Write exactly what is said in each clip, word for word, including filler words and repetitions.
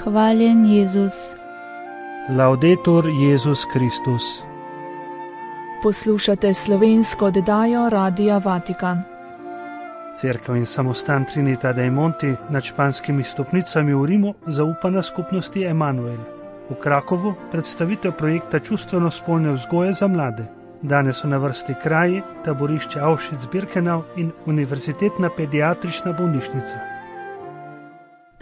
Hvaljen Jezus. Laudetur Jezus Kristus. Poslušate slovensko oddajo Radia Vatikan. Cerkev in samostan Trinità dei Monti nad španskimi stopnicami v Rimu zaupana skupnosti Emanuel. V Krakovu predstavitev projekta čustveno-spolne vzgoje za mlade. Danes so na vrsti kraji, taborišče Auschwitz-Birkenau in univerzitetna pediatrična bolnišnica.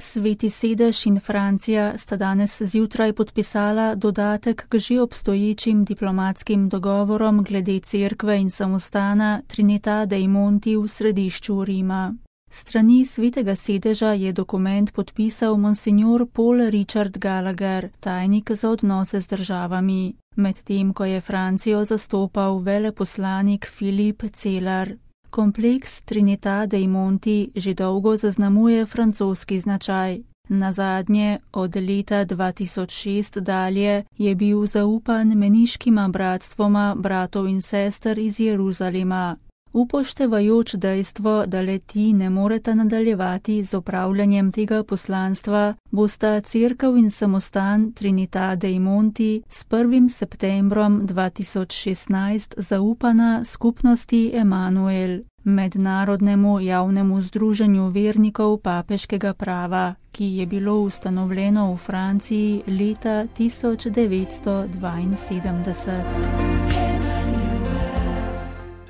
Sveti sedež in Francija sta danes zjutraj podpisala dodatek k že obstoječim diplomatskim dogovorom glede cerkve in samostana Trinità dei Monti v središču Rima. Strani svetega sedeža je dokument podpisal monsignor Paul Richard Gallagher, tajnik za odnose z državami, medtem ko je Francijo zastopal veleposlanik Filip Celar. Kompleks Trinità dei Monti že dolgo zaznamuje francoski značaj. Nazadnje, od leta dva tisoč šest dalje, je bil zaupan meniškima bratstvoma bratov in sester iz Jeruzalema. Upoštevajoč dejstvo, da le-ti ne moreta nadaljevati z opravljanjem tega poslanstva, bosta cerkev in samostan Trinità dei Monti s prvim septembrom dva tisoč šestnajst zaupana skupnosti Emanuel, mednarodnemu javnemu združenju vernikov papeškega prava, ki je bilo ustanovljeno v Franciji leta tisoč devetsto dvainsedemdeset.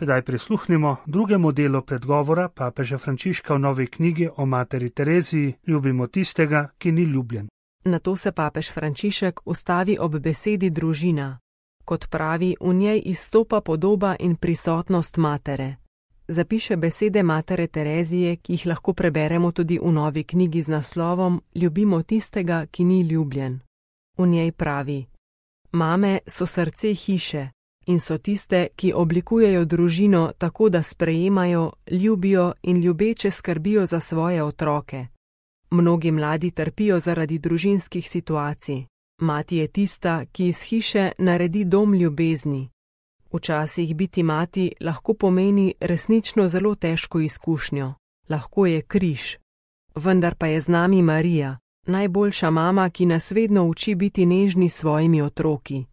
Sedaj prisluhnimo drugemu delu predgovora papeža Frančiška v novi knjigi o materi Tereziji Ljubimo tistega, ki ni ljubljen. Nato se papež Frančišek ustavi ob besedi družina. Kot pravi, v njej izstopa podoba in prisotnost matere. Zapiše besede matere Terezije, ki jih lahko preberemo tudi v novi knjigi z naslovom Ljubimo tistega, ki ni ljubljen. V njej pravi: Mame so srce hiše in so tiste, ki oblikujejo družino tako, da sprejemajo, ljubijo in ljubeče skrbijo za svoje otroke. Mnogi mladi trpijo zaradi družinskih situacij. Mati je tista, ki iz hiše naredi dom ljubezni. Včasih biti mati lahko pomeni resnično zelo težko izkušnjo. Lahko je križ. Vendar pa je z nami Marija, najboljša mama, ki nas vedno uči biti nežni s svojimi otroki.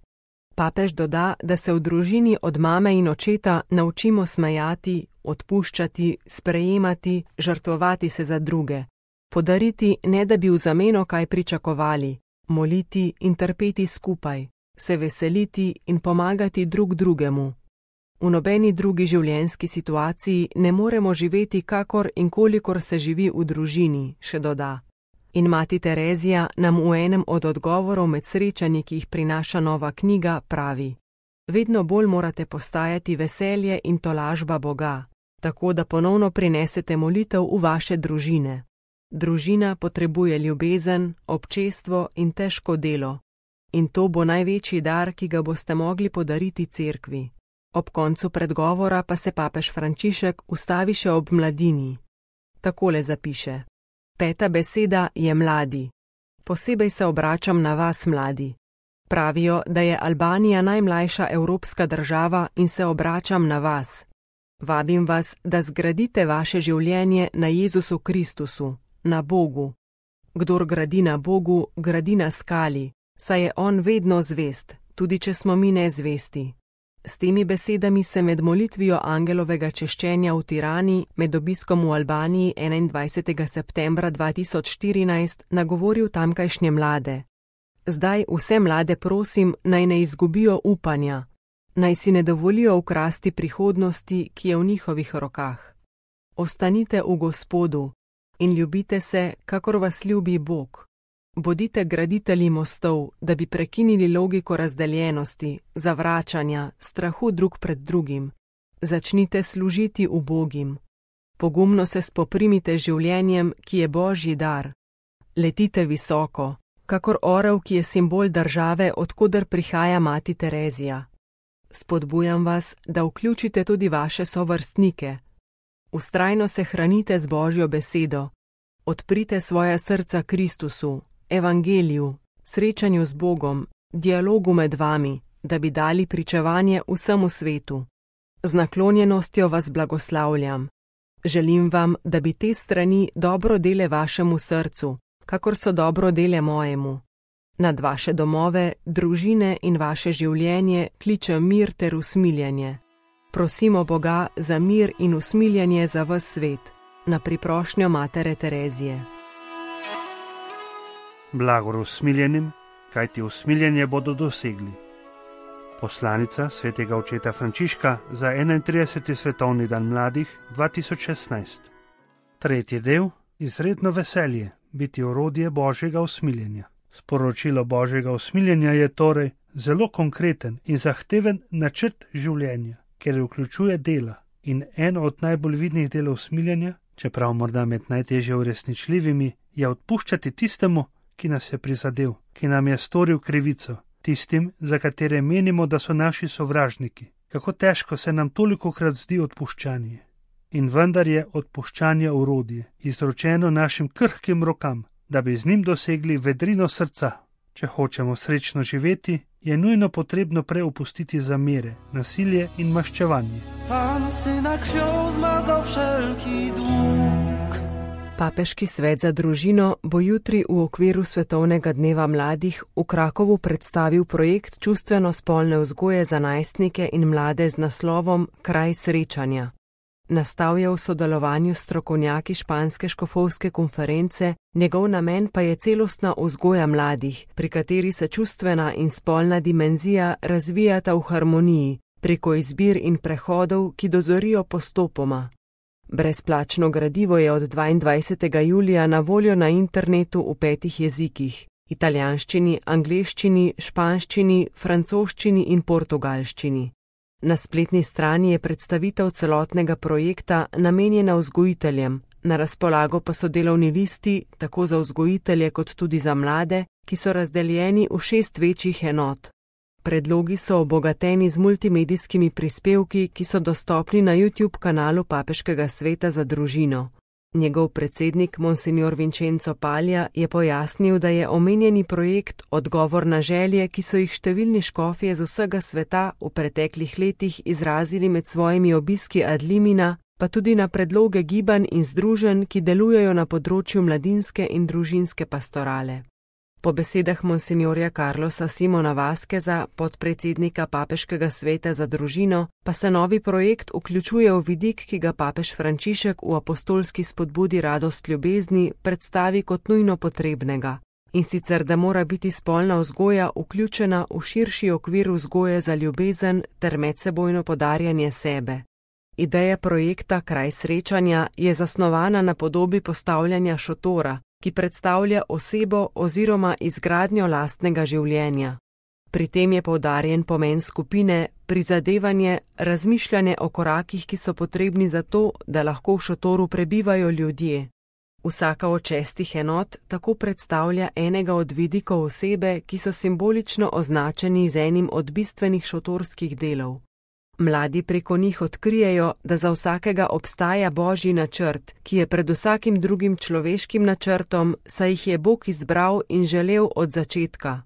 Papež doda, da se v družini od mame in očeta naučimo smejati, odpuščati, sprejemati, žrtvovati se za druge, podariti, ne da bi v zameno kaj pričakovali, moliti in trpeti skupaj, se veseliti in pomagati drug drugemu. V nobeni drugi življenjski situaciji ne moremo živeti kakor in kolikor se živi v družini, še doda. In mati Terezija nam v enem od odgovorov med srečanji, ki jih prinaša nova knjiga, pravi: Vedno bolj morate postajati veselje in tolažba Boga, tako da ponovno prinesete molitev v vaše družine. Družina potrebuje ljubezen, občestvo in težko delo. In to bo največji dar, ki ga boste mogli podariti cerkvi. Ob koncu predgovora pa se papež Frančišek ustavi še ob mladini. Takole zapiše: Peta beseda je mladi. Posebej se obračam na vas, mladi. Pravijo, da je Albanija najmlajša evropska država in se obračam na vas. Vabim vas, da zgradite vaše življenje na Jezusu Kristusu, na Bogu. Kdor gradi na Bogu, gradi na skali, saj je On vedno zvest, tudi če smo mi nezvesti. S temi besedami se med molitvijo angelovega češčenja v Tirani med obiskom v Albaniji enaindvajsetega septembra dva tisoč štirinajst nagovoril tamkajšnje mlade. Zdaj vse mlade prosim, naj ne izgubijo upanja, naj si ne dovolijo ukrasti prihodnosti, ki je v njihovih rokah. Ostanite v Gospodu in ljubite se, kakor vas ljubi Bog. Bodite graditelji mostov, da bi prekinili logiko razdeljenosti, zavračanja, strahu drug pred drugim. Začnite služiti ubogim. Pogumno se spoprimite življenjem, ki je Božji dar. Letite visoko, kakor orel, ki je simbol države, od koder prihaja mati Terezija. Spodbujam vas, da vključite tudi vaše sovrstnike. Vztrajno se hranite z Božjo besedo. Odprite svoja srca Kristusu, evangeliju, srečanju z Bogom, dialogu med vami, da bi dali pričevanje vsemu svetu. Z naklonjenostjo vas blagoslavljam. Želim vam, da bi te strani dobro dele vašemu srcu, kakor so dobro dele mojemu. Nad vaše domove, družine in vaše življenje kliče mir ter usmiljenje. Prosimo Boga za mir in usmiljenje za ves svet, na priprošnjo Matere Terezije. Blagor usmiljenim, kajti usmiljenje bodo dosegli. Poslanica svetega očeta Frančiška za enaintrideseti svetovni dan mladih dva tisoč šestnajst. Tretji del: izredno veselje, biti orodje Božjega usmiljenja. Sporočilo Božjega usmiljenja je torej zelo konkreten in zahteven načrt življenja, ker vključuje dela. In eno od najbolj vidnih delov usmiljenja, čeprav morda med najtežje uresničljivimi, je odpuščati tistemu, ki nas je prizadel, ki nam je storil krivico, tistim, za katere menimo, da so naši sovražniki. Kako težko se nam tolikokrat zdi odpuščanje. In vendar je odpuščanje orodje, izročeno našim krhkim rokam, da bi z njim dosegli vedrino srca. Če hočemo srečno živeti, je nujno potrebno prej opustiti zamere, nasilje in maščevanje. Pan syna krwią zmazał wszelki dług. Papeški svet za družino bo jutri v okviru Svetovnega dneva mladih v Krakovu predstavil projekt čustveno-spolne vzgoje za najstnike in mlade z naslovom Kraj srečanja. Nastal je v sodelovanju s strokovnjaki španske škofovske konference, njegov namen pa je celostna vzgoja mladih, pri kateri se čustvena in spolna dimenzija razvijata v harmoniji, preko izbir in prehodov, ki dozorijo postopoma. Brezplačno gradivo je od dvaindvajsetega julija na voljo na internetu v petih jezikih: italijanščini, angleščini, španščini, francoščini in portugalščini. Na spletni strani je predstavitev celotnega projekta namenjena vzgojiteljem, na razpolago pa so delovni listi tako za vzgojitelje kot tudi za mlade, ki so razdeljeni v šest večjih enot. Predlogi so obogateni z multimedijskimi prispevki, ki so dostopni na YouTube kanalu Papeškega sveta za družino. Njegov predsednik, monsignor Vincenzo Palja, je pojasnil, da je omenjeni projekt odgovor na želje, ki so jih številni škofje z vsega sveta v preteklih letih izrazili med svojimi obiski ad limina, pa tudi na predloge gibanj in združenj, ki delujejo na področju mladinske in družinske pastorale. Po besedah monsignorja Carlosa Simona Vaskeza, podpredsednika Papeškega sveta za družino, pa se novi projekt vključuje v vidik, ki ga papež Frančišek v apostolski spodbudi Radost ljubezni predstavi kot nujno potrebnega, in sicer da mora biti spolna vzgoja vključena v širši okvir vzgoje za ljubezen ter medsebojno podarjanje sebe. Ideja projekta Kraj srečanja je zasnovana na podobi postavljanja šotora, ki predstavlja osebo oziroma izgradnjo lastnega življenja. Pri tem je poudarjen pomen skupine, prizadevanje, razmišljanje o korakih, ki so potrebni za to, da lahko v šotoru prebivajo ljudje. Vsaka od šestih enot tako predstavlja enega od vidikov osebe, ki so simbolično označeni z enim od bistvenih šotorskih delov. Mladi preko njih odkrijejo, da za vsakega obstaja Božji načrt, ki je pred vsakim drugim človeškim načrtom, saj jih je Bog izbral in želel od začetka.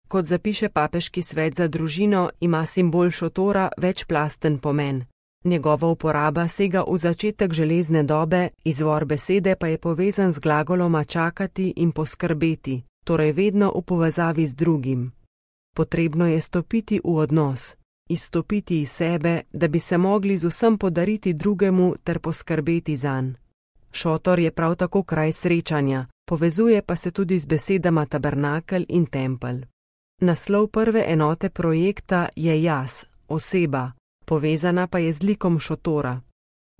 Kot zapiše Papeški svet za družino, ima simbol šotora večplasten pomen. Njegova uporaba sega v začetek železne dobe, izvor besede pa je povezan z glagoloma čakati in poskrbeti, torej vedno v povezavi z drugim. Potrebno je stopiti v odnos. Izstopiti iz sebe, da bi se mogli z vsem podariti drugemu ter poskrbeti zanj. Šotor je prav tako kraj srečanja, povezuje pa se tudi z besedama tabernakel in tempelj. Naslov prve enote projekta je jaz, oseba, povezana pa je z likom šotora.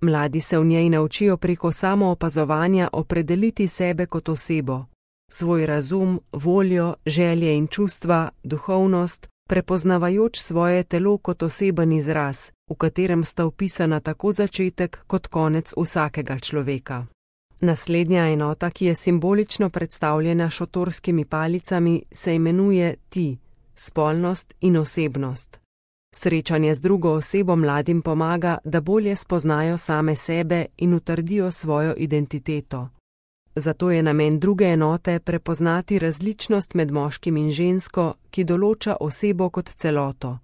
Mladi se v njej naučijo preko samoopazovanja opredeliti sebe kot osebo, svoj razum, voljo, želje in čustva, duhovnost, prepoznavajoč svoje telo kot oseben izraz, v katerem sta vpisana tako začetek kot konec vsakega človeka. Naslednja enota, ki je simbolično predstavljena šotorskimi palicami, se imenuje ti, spolnost in osebnost. Srečanje z drugo osebo mladim pomaga, da bolje spoznajo same sebe in utrdijo svojo identiteto. Zato je namen druge enote prepoznati različnost med moškim in žensko, ki določa osebo kot celoto.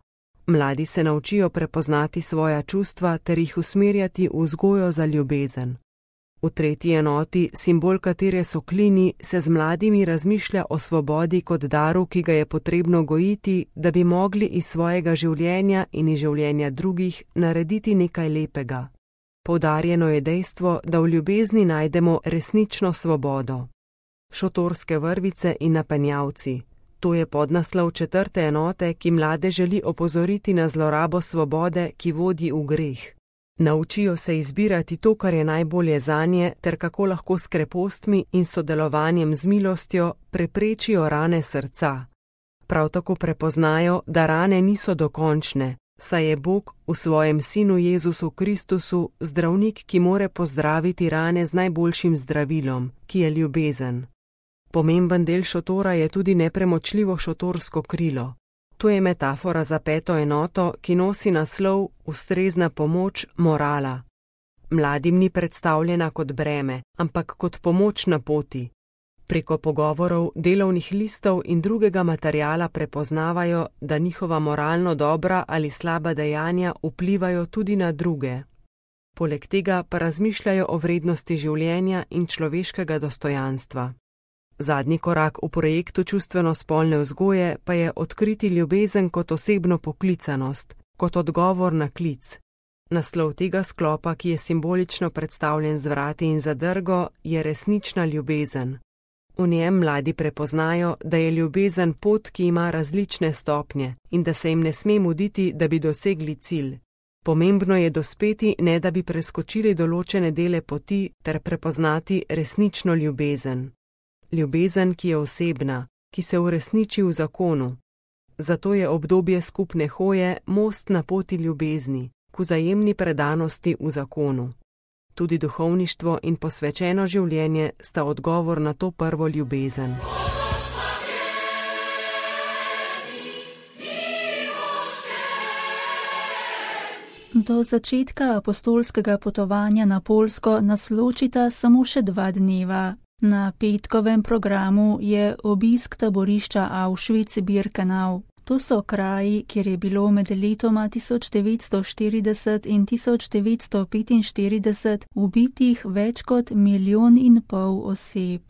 Mladi se naučijo prepoznati svoja čustva ter jih usmerjati v vzgojo za ljubezen. V tretji enoti, simbol katere so klini, se z mladimi razmišlja o svobodi kot daru, ki ga je potrebno gojiti, da bi mogli iz svojega življenja in iz življenja drugih narediti nekaj lepega. Poudarjeno je dejstvo, da v ljubezni najdemo resnično svobodo. Šotorske vrvice in napenjavci. To je podnaslov četrte enote, ki mlade želi opozoriti na zlorabo svobode, ki vodi v greh. Naučijo se izbirati to, kar je najbolje zanje, ter kako lahko s krepostmi in sodelovanjem z milostjo preprečijo rane srca. Prav tako prepoznajo, da rane niso dokončne, saj je Bog v svojem Sinu Jezusu Kristusu zdravnik, ki more pozdraviti rane z najboljšim zdravilom, ki je ljubezen. Pomemben del šotora je tudi nepremočljivo šotorsko krilo. To je metafora za peto enoto, ki nosi naslov Ustrezna pomoč morala. Mladim ni predstavljena kot breme, ampak kot pomoč na poti. Preko pogovorov, delovnih listov in drugega materiala prepoznavajo, da njihova moralno dobra ali slaba dejanja vplivajo tudi na druge. Poleg tega pa razmišljajo o vrednosti življenja in človeškega dostojanstva. Zadnji korak v projektu čustveno-spolne vzgoje pa je odkriti ljubezen kot osebno poklicanost, kot odgovor na klic. Naslov tega sklopa, ki je simbolično predstavljen z vrati in zadrgo, je resnična ljubezen. V njem mladi prepoznajo, da je ljubezen pot, ki ima različne stopnje in da se jim ne sme muditi, da bi dosegli cilj. Pomembno je dospeti, ne da bi preskočili določene dele poti ter prepoznati resnično ljubezen. Ljubezen, ki je osebna, ki se uresniči v zakonu. Zato je obdobje skupne hoje most na poti ljubezni, k vzajemni predanosti v zakonu. Tudi duhovništvo in posvečeno življenje sta odgovor na to prvo ljubezen. Do začetka apostolskega potovanja na Poljsko nas ločita samo še dva dneva. Na petkovem programu je obisk taborišča Auschwitz-Birkenau. To so kraji, kjer je bilo med letoma tisoč devetsto štirideset in tisoč devetsto petinštirideset ubitih več kot milijon in pol oseb.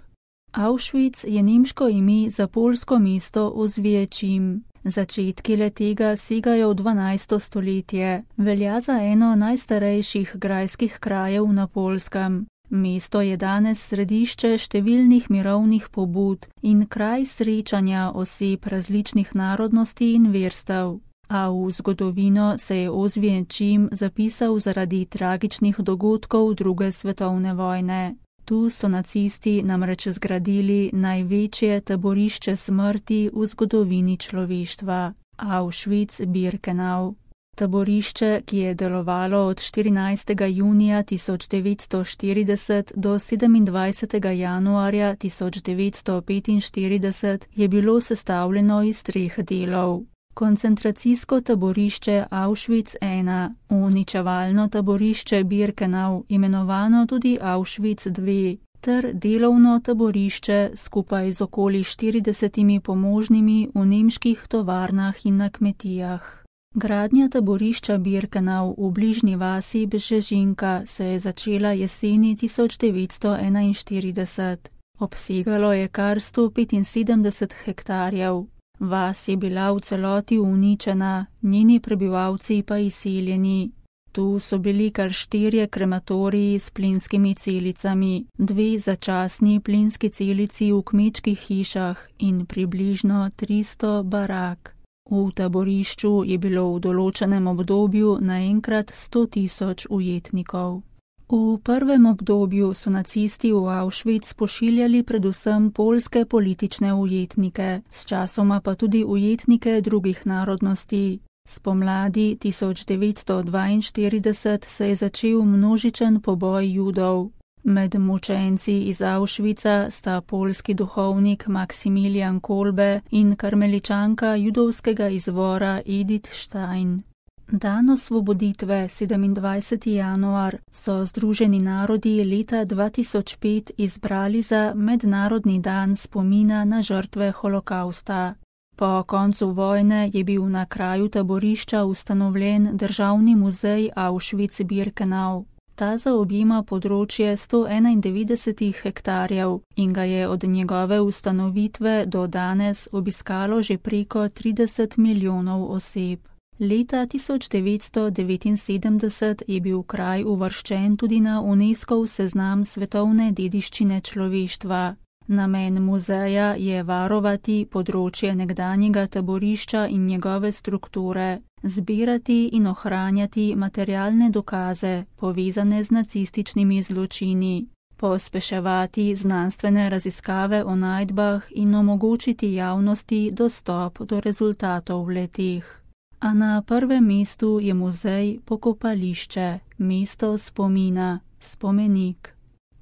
Auschwitz je nemško ime za poljsko mesto Ozwiecim. Začetki le-tega segajo v dvanajsto stoletje. Velja za eno najstarejših grajskih krajev na Poljskem. Mesto je danes središče številnih mirovnih pobud in kraj srečanja oseb različnih narodnosti in verstev. A v zgodovino se je Ozwiecim zapisal zaradi tragičnih dogodkov druge svetovne vojne. Tu so nacisti namreč zgradili največje taborišče smrti v zgodovini človeštva, Auschwitz-Birkenau. Taborišče, ki je delovalo od štirinajstega junija tisoč devetsto štirideset do sedemindvajsetega januarja tisoč devetsto petinštirideset, je bilo sestavljeno iz treh delov. Koncentracijsko taborišče Auschwitz ena, uničevalno taborišče Birkenau, imenovano tudi Auschwitz dve, ter delovno taborišče skupaj z okoli štiridesetimi pomožnimi v nemških tovarnah in na kmetijah. Gradnja taborišča Birkenau v bližnji vasi Bžežinka se je začela jeseni tisoč devetsto enainštirideset. Obsegalo je kar sto petinsedemdeset hektarjev. Vas je bila v celoti uničena, njeni prebivalci pa izseljeni. Tu so bili kar štirje krematoriji s plinskimi celicami, dve začasni plinski celici v kmečkih hišah in približno tristo barak. V taborišču je bilo v določenem obdobju naenkrat sto tisoč ujetnikov. V prvem obdobju so nacisti v Auschwitz pošiljali predvsem poljske politične ujetnike, sčasoma pa tudi ujetnike drugih narodnosti. Spomladi tisoč devetsto dvainštirideset se je začel množičen poboj Judov. Med mučenci iz Auschwitza sta poljski duhovnik Maksimilijan Kolbe in karmeličanka judovskega izvora Edith Stein. Dan osvoboditve, sedemindvajseti januar, so Združeni narodi leta dva tisoč pet izbrali za mednarodni dan spomina na žrtve holokausta. Po koncu vojne je bil na kraju taborišča ustanovljen državni muzej Auschwitz-Birkenau. Ta zaobjema področje sto enaindevetdeset hektarjev in ga je od njegove ustanovitve do danes obiskalo že preko trideset milijonov oseb. Leta tisoč devetsto devetinsedemdeset je bil kraj uvrščen tudi na UNESCOV seznam svetovne dediščine človeštva. Namen muzeja je varovati področje nekdanjega taborišča in njegove strukture, zbirati in ohranjati materialne dokaze, povezane z nacističnimi zločini, pospeševati znanstvene raziskave o najdbah in omogočiti javnosti dostop do rezultatov letih. A na prvem mestu je muzej pokopališče, mesto spomina, spomenik.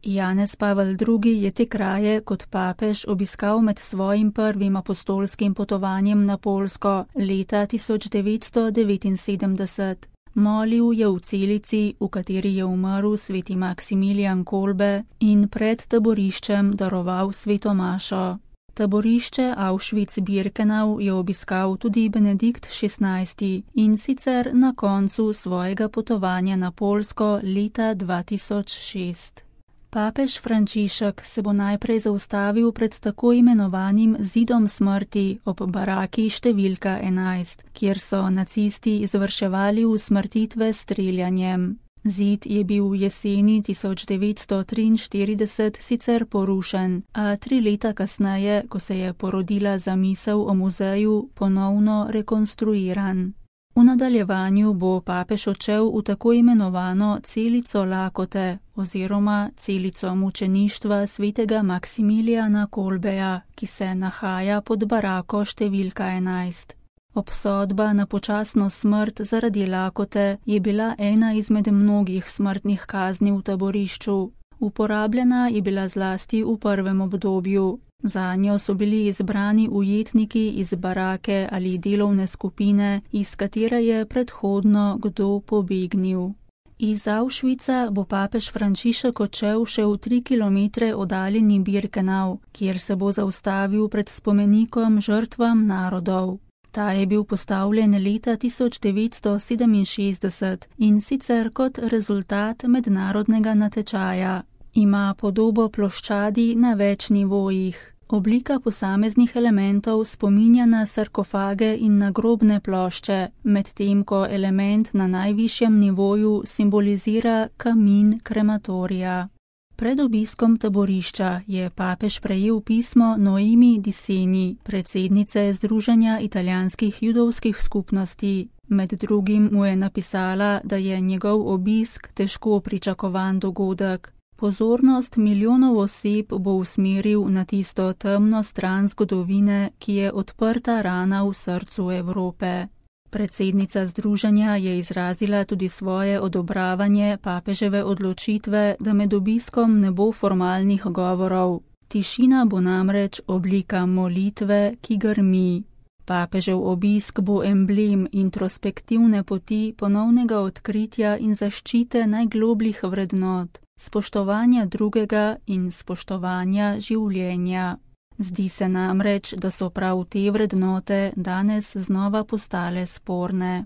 Janez Pavel drugi je te kraje kot papež obiskal med svojim prvim apostolskim potovanjem na Poljsko leta tisoč devetsto devetinsedemdeset. Molil je v celici, v kateri je umrl sveti Maksimilijan Kolbe in pred taboriščem daroval sveto mašo. Taborišče Auschwitz-Birkenau je obiskal tudi Benedikt šestnajsti in sicer na koncu svojega potovanja na Poljsko leta dva tisoč šest. Papež Frančišek se bo najprej zaustavil pred tako imenovanim zidom smrti ob baraki številka enajst, kjer so nacisti izvrševali usmrtitve s streljanjem. Zid je bil v jeseni tisoč devetsto triinštirideset sicer porušen, a tri leta kasneje, ko se je porodila zamisel o muzeju, ponovno rekonstruiran. V nadaljevanju bo papež odšel v tako imenovano celico lakote oziroma celico mučeništva svetega Maksimilijana Kolbeja, ki se nahaja pod barako številka enajst. Obsodba na počasno smrt zaradi lakote je bila ena izmed mnogih smrtnih kazni v taborišču. Uporabljena je bila zlasti v prvem obdobju. Zanjo so bili izbrani ujetniki iz barake ali delovne skupine, iz katere je predhodno kdo pobegnil. Iz Auschwitza bo papež Frančišek odšel še v tri kilometre oddaljeni Birkenau, kjer se bo zaustavil pred spomenikom žrtvam narodov. Ta je bil postavljen leta tisoč devetsto sedeminšestdeset in sicer kot rezultat mednarodnega natečaja. Ima podobo ploščadi na več nivojih. Oblika posameznih elementov spominja na sarkofage in na grobne plošče, medtem ko element na najvišjem nivoju simbolizira kamin krematorija. Pred obiskom taborišča je papež prejel pismo Noemi Di Seni, predsednice Združenja italijanskih judovskih skupnosti. Med drugim mu je napisala, da je njegov obisk težko pričakovan dogodek. Pozornost milijonov oseb bo usmeril na tisto temno stran zgodovine, ki je odprta rana v srcu Evrope. Predsednica združenja je izrazila tudi svoje odobravanje papeževe odločitve, da med obiskom ne bo formalnih govorov. Tišina bo namreč oblika molitve, ki grmi. Papežev obisk bo emblem introspektivne poti ponovnega odkritja in zaščite najglobljih vrednot, spoštovanja drugega in spoštovanja življenja. Zdi se namreč, da so prav te vrednote danes znova postale sporne.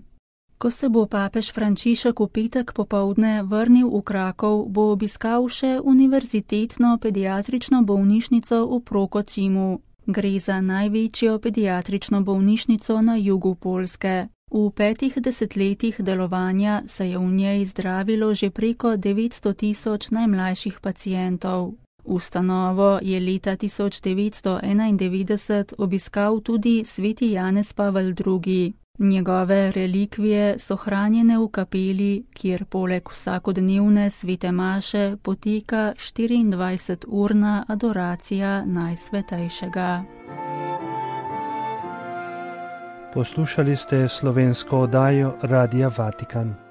Ko se bo papež Frančišek v petek popoldne vrnil v Krakov, bo obiskal še univerzitetno pediatrično bolnišnico v Prokocimu. Gre za največjo pediatrično bolnišnico na jugu Poljske. V petih desetletjih delovanja se je v njej zdravilo že preko devetsto tisoč najmlajših pacientov. Ustanovo je leta tisoč devetsto enaindevetdeset obiskal tudi sveti Janez Pavel drugi. Njegove relikvije so hranjene v kapeli, kjer poleg vsakodnevne svete maše poteka štiriindvajseturna adoracija najsvetejšega. Poslušali ste slovensko oddajo Radia Vatikan.